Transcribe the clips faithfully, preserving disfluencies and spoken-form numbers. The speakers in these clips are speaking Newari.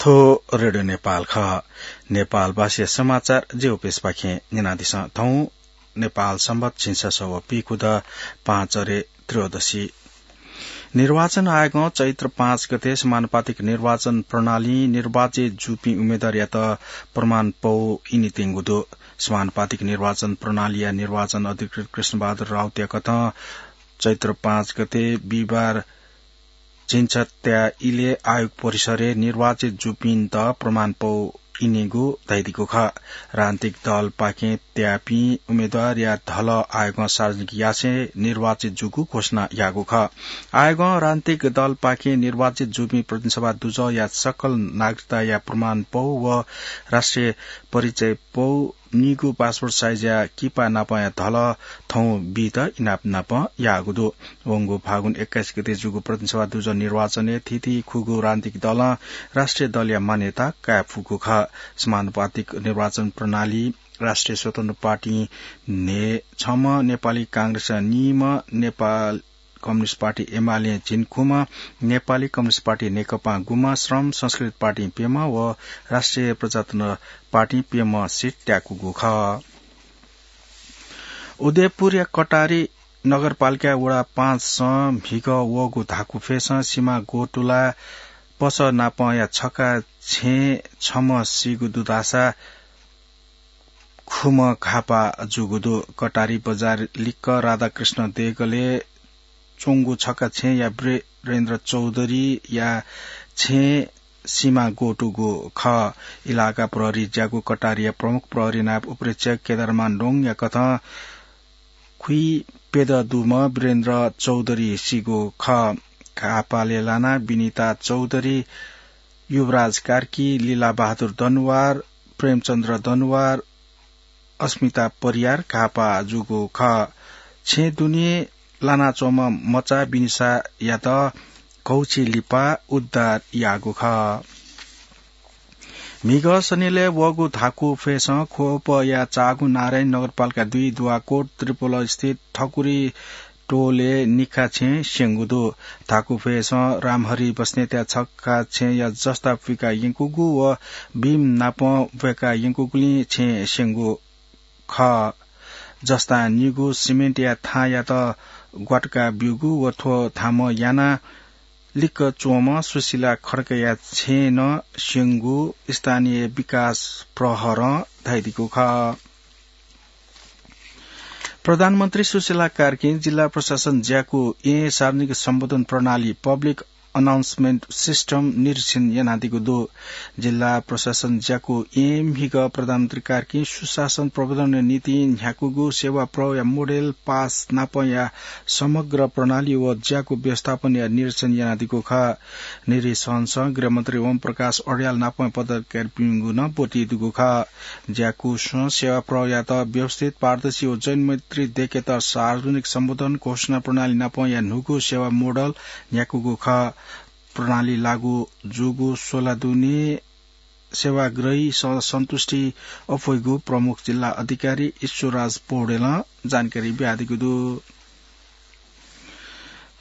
थ्व रेडियो नेपाल खः। नेपालभाषाया समाचार ज्यू प्रेसपाखें न्यनादिसँ। थौं नेपाल संवत् झिंछसः व पीखुदँ पाँच अरे त्रयोदशी। निर्वाचन आयोगं चैत्र पाँच गते समानुपातिक निर्वाचन प्रणालीं निर्वाचित जूपिं उम्मेद्वारयात प्रमाणपौ इनेत्यंगु दु। समानुपातिक निर्वाचन प्रणालीया निर्वाचन अधिकृत कृष्णबहादुर राउतया कथं चैत्र पाँच गते बिहिबार झिंछत्या इलय् आयोग परिसरय् निर्वाचित जूपिन्त प्रमाणपौ इनेगु धयादीगु खः। राजनीतिक दलपाखें त्याःपिं उम्मेद्वारया धलः आयोगं सार्वजनिक यासें निर्वाचित जूगु घोषणा याःगु खः। आयोगं राजनीतिक दलपाखें निर्वाचित जूपिं प्रतिनिधि सभा दुजःया सकल नागरिकताया प्रमाणपौ व राष्ट्रिय परिचयपौ निगू पासपोर्ट साइजया किपा नापंया धलः थौं बीत इनाप नापं याःगु दु। वंगु फागुन एक्काइस गते जूगु प्रतिनिधि सभा दुजः निर्वाचनय् थीथी खुगू राजनीतिक दलं राष्ट्रिय दलया मान्यता काये फुगु खः। समानुपातिक निर्वाचन प्रणाली राष्ट्रिय स्वतन्त्र पार्टी न्हय् छम्ह, नेपाली कांग्रेस निम्ह, नेपाल कम्युनिस्ट पार्टी एमाले झिंखुम्ह, नेपाली कम्युनिस्ट पार्टी नेकपां गुम्ह, श्रम संस्कृति पार्टी प्यम्ह व राष्ट्रिय प्रजातन्त्र पार्टी प्यम्ह सिट त्याकूगु खः। उदयपुरया कटारी नगरपालिका वडा पाँचसं म्हिगः वःगु धाकुफय्सं सिमा गोटुला पसः नापंया छखा छेँय् छम्ह सीगु दु धाःसा खुम्ह घाःपाः जूगु दु। कटारी बजार लिक्क राधाकृष्ण देगलय् च्वंगु छखा छेँया वीरेन्द्र चौधरीया छेँय् सिमा गोटुगु खः। इलाका प्रहरी ज्याकू कटारीया प्रमुख प्रहरी नायब उपरीक्षक केदारमान डोङया कथं खुइप्यदँ दुम्ह वीरेन्द्र चौधरी सीगु खः। घाःपालय् लानाः विनिता चौधरी, युवराज कार्की, लीला बहादुर दनुवार, प्रेमचन्द्र दनुवार, अस्मिता परियार घाःपाः जूगु खः। छेँ दुने लानाच्वंम्ह मचा विनिसायात घौछि लिपा उद्धार याःगु खः। म्हिगः सनिलय् वःगु धाकुफय्सं ख्वपया चाःगु नारायणी नगरपालिका दुई दुवाकोट त्रिपोल स्थित ठकुरी टोलय् निखा छेँ स्यंगु दु। धाकुफय्सं रामहरि बस्नेतया छखा छेँया जस्ता पुइका यंकूगु व भीम नापं ब्वय्का यंकूगुलिं छेँ स्यंगु खः। जस्तां निगू सिमेन्टया थांयात ग्वातुका ब्यूगु व थ्व थामं यानाः लिक्क च्वंम्ह सुशीला खड्काया छेँ नं स्यंगु स्थानीय विकास प्रहरं धयादीगु खः। प्रधानमन्त्री सुशीला कार्कीं जिल्ला प्रशासन ज्याकू येँ सार्वजनिक सम्बोधन प्रणाली, पब्लिक अनाउन्समेन्ट सिस्टम, निरीक्षण यानादीगु दु। जिल्ला प्रशासन ज्याकू येँ म्हिगः प्रधानमन्त्री कार्कीं सुशासन प्रवर्धनया निंतिं न्ह्याकूगु सेवा प्रवाहया मोडेल पास नापंया समग्र प्रणाली व ज्याकू व्यवस्थापनया निरीक्षण यानादीगु खः। निरीक्षणसं गृहमन्त्री ओम प्रकाश अर्याल नापं पदाधिकारीपिनिगु नं ब्वति दुगु खः। ज्याकूसं सेवा प्रवाहयात व्यवस्थित, पारदर्शी व जनमैत्री दयेकेत सार्वजनिक सम्बोधन घोषणा प्रणाली नापंया न्हूगु सेवा मोडल न्ह्याकूगु खः। प्रणाली लागू जूगु सोला दुने सेवाग्राहीसं सन्तुष्टि अप्वइगु प्रमुख जिल्ला अधिकारी ईश्वरराज पौडेलं जानकारी बियादीगु दु।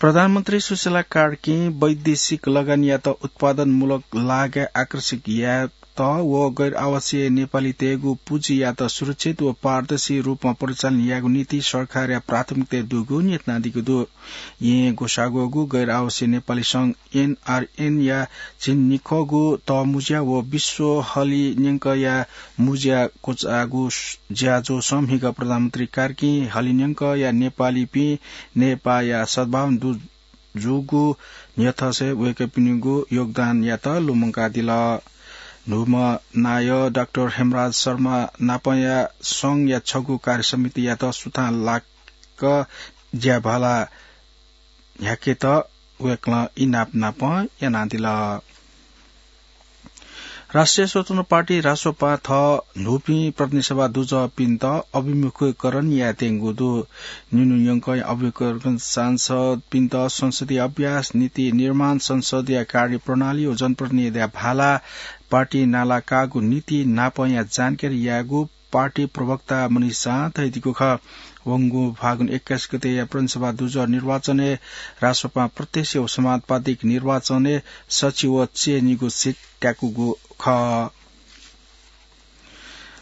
प्रधानमन्त्री सुशीला कार्कीं वैदेशिक लगानीयात उत्पादनमूलक लागय् आकर्षित यायेत व गैर आवासीय नेपालीतय्गु पुँजीयात सुरक्षित व पारदर्शी रूपमा परिचालन यायेगु निंतिं सरकारया प्राथमिकता दुगु न्ह्यथनादीगु दु। येँ ग्वसाः ग्वःगु गैर आवासीय नेपाली संघ एनआरएनया झिंनिखःगु तःमुँज्या व विश्व हलिं न्यंकया मुँज्या क्वचाःगु ज्याझ्वलय् म्हिगः प्रधानमन्त्री कार्कीं हलिं न्यंकया नेपालीपिं नेपाःया सद्भावना दु जूगु न्ह्यथनासें वय्कःपिनिगु योगदानयात लुमंकादिल। न्हूम्ह नायः डाक्टर हेमराज शर्मा नापंया संघया छगू कार्यसमितियात सुथां लाक्क ज्याभाला न्ह्याकेत वय्कलं इनाप नापं यानादिल। राष्ट्रिय स्वतन्त्र पार्टी रासोपां थः न्हूपिं प्रतिनिधि सभा दुजःपिन्त अभिमुखीकरण यायेत्यंगु दु। निन्हु न्यंकं अभिमुखीकरण सांसदपिन्त संसदीय अभ्यास, नीति निर्माण, संसदया कार्यप्रणाली व जनप्रतिनिधिया भाला, पार्टी नालाकाःगु नीति नापंया जानकारी यायेगु पार्टी प्रवक्ता मनिषां धयादीगु खः। वंगु फागुन एक्काइस गतेया प्रदेशसभा दुजः निर्वाचनय् राष्ट्रपा प्रत्यक्ष व समानुपातिक निर्वाचनय् सछि व चय्निगू सिट त्याकूगु खः।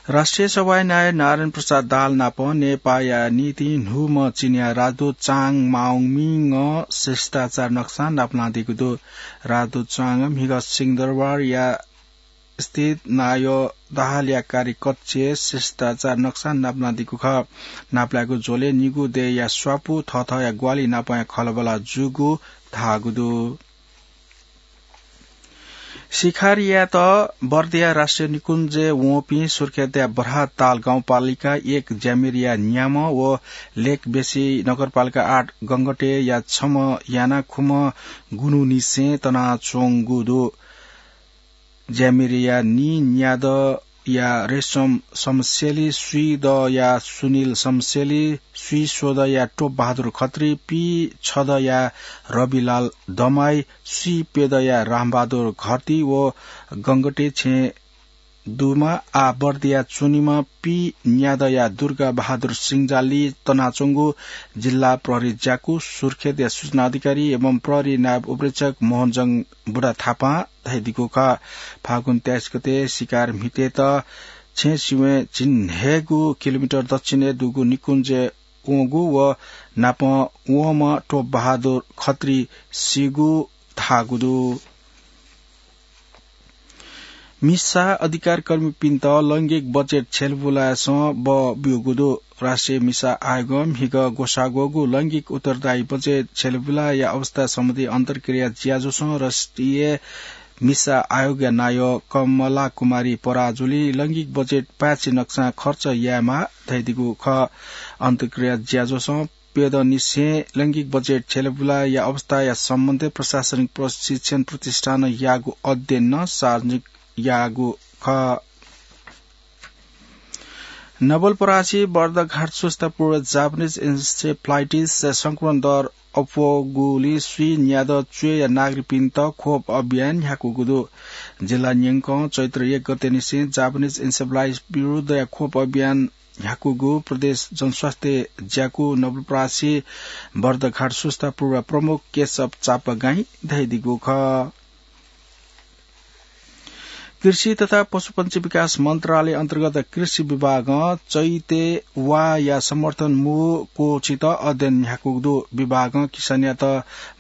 राष्ट्रिय सभाया नायः नारायण प्रसाद दाहाल नाप नेपाःया निंतिं न्हूम्ह चिनियाँ राजदूत चाङ माओमिङं शिष्टाचार नक्सां नापलानादीगु दु। राजदूत चाङं म्हिगः सिंहदरबारया स्थित नायः दाहालया कार्यकक्षय् शिष्टाचार नक्सां नापलानादीगु खः। नापलायेगु झ्वलय् निगू देय्‌या स्वापू, थःथःया ग्वाहालि नापंया खँल्हाबल्हा जूगु धाःगु दु। शिकार यायेत बर्दिया राष्ट्रिय निकुञ्जय् वंपिं सुर्खेतया बर्हाताल गाउँपालिका एक ज्यामिरिया न्याम्ह व लेकबेसी नगरपालिका आठ गंगटेया छम्ह याना खुम्ह गुन्हुनिसें तनाच्वंगु दु। ज्यामिरिया नीन्यादँया रेशम शमशेली, स्वीदँया सुनिल शमशेली, स्वीस्वदँया टोपबहादुर खत्री, पीछदँया रविलाल दमाई, स्वीप्यदँया रामबहादुर घरती व गंगटे छेँ दुम्ह आः बर्दिया च्वनीम्ह पीन्यादँया दुर्गाबहादुर सिंजालली तनाच्वंगु जिल्ला प्रहरी ज्याकू सुर्खेतया सूचना अधिकारी एवं प्रहरी नायब उपरीक्षक मोहनजंग बुढाथापां धयादीगु खः। फागुन तेइस गते शिकार म्हितेत छेँ सिबें झिंन्हय्‌गू किलोमिटर दक्षिणय् दुगु निकुञ्जय् वंगु व नापं वंम्ह टोपबहादुर खत्री सीगु धाःगु दु। मिसा अधिकारकर्मीपिन्त लैंगिक बजेट छ्यलेबुलाय्‌सं बः ब्यूगु दु। राष्ट्रिय मिसा आयोगं म्हिगः ग्वसाः ग्वःगु लैंगिक उत्तरदायी बजेट छ्यलेबुलाया अवस्था सम्बन्धी अन्तर्क्रिया ज्याझ्वलय् राष्ट्रिय मिसा आयोगया नायः कमला कुमारी पराजुली लैंगिक बजेट पाय्‌छि नक्सां खर्च यायेमाः धयादीगु खः। अन्तर्क्रिया ज्याझ्वलं प्यदँनिसें लैंगिक बजेट छ्यलेबुलाया अवस्थाया सम्बन्धय् प्रशासनिक प्रशिक्षण प्रतिष्ठानं याःगु अध्ययनं सार्वजनिक याःगु खः। नवलपरासी बर्दघाट सुस्तापुर जापानिज इन्सेफलाइटिस संक्रमण दर अप्वःगुलिं स्वीन्यादँ च्वय्‌या नागरिकपिन्त खोप अभियान न्ह्याकूगु दु। जिल्ला न्यंकं चैत्र एक गतेनिसें जापानिज इन्सेफलाइटिस विरुद्धया खोप अभियान न्ह्याकूगु प्रदेश जनस्वास्थ्य ज्याकू नवलपरासी बर्दघाट सुस्तापुर प्रमुख केशव चापागाईं धयादीगु खः। कृषि तथा पशुपन्छी विकास मन्त्रालय अन्तर्गत कृषि विभागं चैते वाःया समर्थन मू कोछित अध्ययन न्ह्याकूगु दु। विभागं किसानयात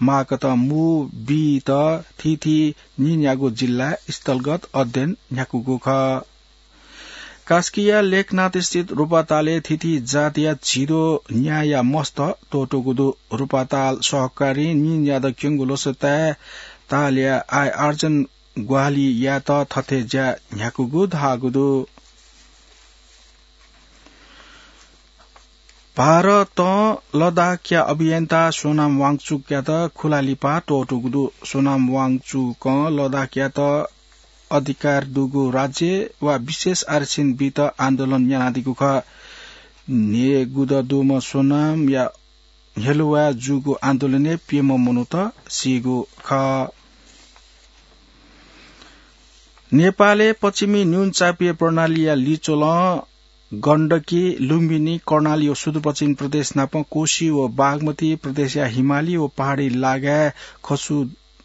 माःकथं मू बीत थीथी नीन्यागू जिल्लाय् स्थलगत अध्ययन न्ह्याकूगु खः। कास्कीया लेखनाथ स्थित रुपातालय् थीथी जातया झिद्वः न्याःया मस्त त्वःतूगु दु। रुपाताल सहकारी नीन्यादँ क्यंगु लसताय् तालया आय आर्जन ग्वाहालि यायेत थथे ज्या न्ह्याकूगु धाःगु दु। भारतं लद्दाखया अभियन्ता सोनाम वाङचुकयात खुला लिपा त्वःतूगु दु। सोनाम वाङचुकं लद्दाखयात अधिकार दुगु राज्य वा विशेष आरक्षण बीत आन्दोलन यानादीगु खः। न्हय्‌गू दँ दुम्ह सोनामया हेलुवाय् जूगु आन्दोलनय् प्यम्ह मनूत सीगु खः। नेपालय् पश्चिमी न्यूनचापीय प्रणालीया लिच्वलं गण्डकी, लुम्बिनी, कर्णाली व सुदूरपश्चिम प्रदेश नाप कोशी व बागमती प्रदेशया हिमाली व पहाडी लागाय् खसु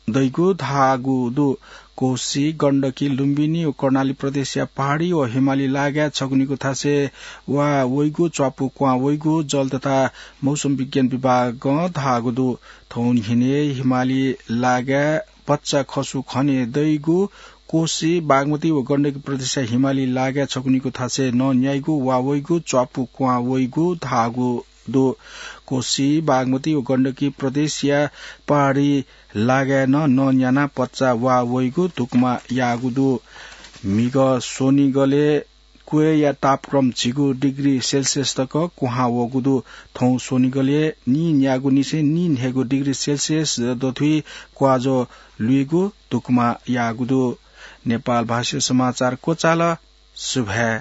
दइगु धाःगु दु। कोशी, गण्डकी, लुम्बिनी व कर्णाली प्रदेशया पहाडी व हिमाली लागाय् छगुनिगू थासय् वा वइगु, च्वापु क्वहां वइगु जल तथा मौसम विज्ञान विभागं धाःगु दु। थौं न्हिनय् हिमाली लागाय् भचा खसु खने दइगु, कोशी, बागमती व गण्डकी प्रदेशया हिमाली लागाय् छगुनिगू थासय् नं न्याइगु वा वइगु, च्वापु क्वहां वइगु धाःगु दु। कोशी, बागमती व गण्डकी प्रदेशया पहाडी लागाय् नं नं न्यानाः भचा वा वइगु धुकुमा याःगु दु। म्हिगः स्वनिगलय् क्वय्‌या तापक्रम झिगू डिग्री सेल्सियस तक क्वहां वःगु दु। थौं स्वनिगलय् नीन्यागूनिसें नीन्हय्‌गू डिग्री सेल्सियस दथुइ क्वाःज्वः लुइगु धुकुमा याःगु दु। नेपाल भाषाय् समाचार क्वचाल। सुभाय्।